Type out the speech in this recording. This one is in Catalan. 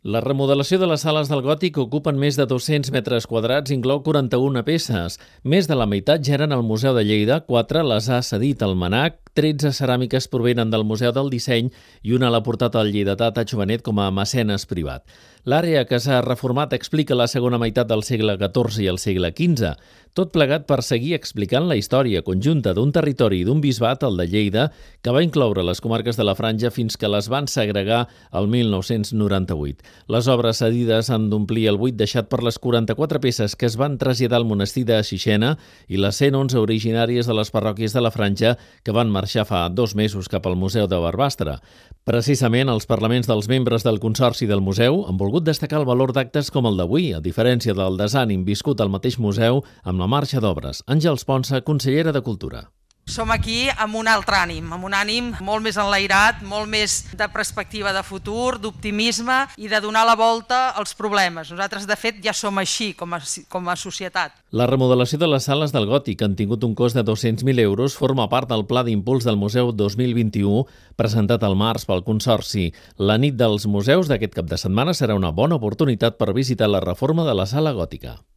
La remodelació de les sales del Gòtic ocupen més de 200 metres quadrats i inclou 41 peces. Més de la meitat ja eren al Museu de Lleida, 4 les ha cedit al MNAC, 13 ceràmiques provenen del Museu del Disseny i una l'ha portat al lleidatà Tacho Benet com a mecenes privat. L'àrea que s'ha reformat explica la segona meitat del segle XIV i el segle XV, tot plegat per seguir explicant la història conjunta d'un territori i d'un bisbat, el de Lleida, que va incloure les comarques de la Franja fins que les van segregar el 1998. Les obres cedides han d'omplir el buit deixat per les 44 peces que es van traslladar al monestir de Xixena i les 111 originàries de les parròquies de la Franja que van marxar fa 2 mesos cap al Museu de Barbastre. Precisament, els parlaments dels membres del Consorci del Museu han volgut destacar el valor d'actes com el d'avui, a diferència del desànim viscut al mateix museu amb la marxa d'obres. Àngels Ponsa, consellera de Cultura. Som aquí amb un altre ànim, amb un ànim molt més enlairat, molt més de perspectiva de futur, d'optimisme i de donar la volta als problemes. Nosaltres, de fet, ja som així com a societat. La remodelació de les sales del Gòtic, que han tingut un cost de 200.000 euros, forma part del Pla d'Impuls del Museu 2021, presentat al març pel Consorci. La nit dels museus d'aquest cap de setmana serà una bona oportunitat per visitar la reforma de la sala gòtica.